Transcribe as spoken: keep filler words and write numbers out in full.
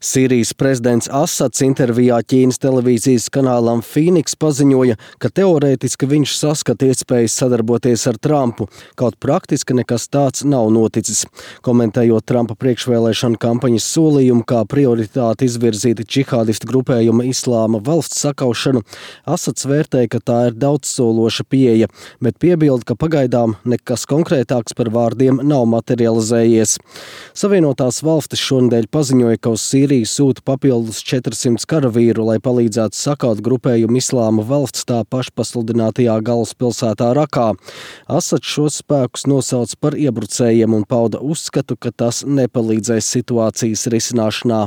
Sīrijas prezidents Asads intervijā Ķīnas televīzijas kanālam Phoenix paziņoja, ka teorētiski viņš saskata iespējas sadarboties ar Trumpu, kaut praktiski nekas tāds nav noticis. Komentējot Trumpa priekšvēlēšanu kampaņas solījumu, kā prioritāti izvirzīti džihādistu grupējuma Islāma valsts sakaušanu, Asads vērtēja, ka tā ir daudzsološa pieeja, bet piebilda, ka pagaidām nekas konkrētāks par vārdiem nav materializējies. Savienotās valstis šonedēļ paziņoja, ka uz Sīriju sūta papildus četrsimt karavīru, lai palīdzētu sakaut grupējumu Islāma valsts tā pašpasludinātajā galvaspilsētā Rakā. Asads šos spēkus nosauca par iebrucējiem un pauda uzskatu, ka tas nepalīdzēs situācijas risināšanā.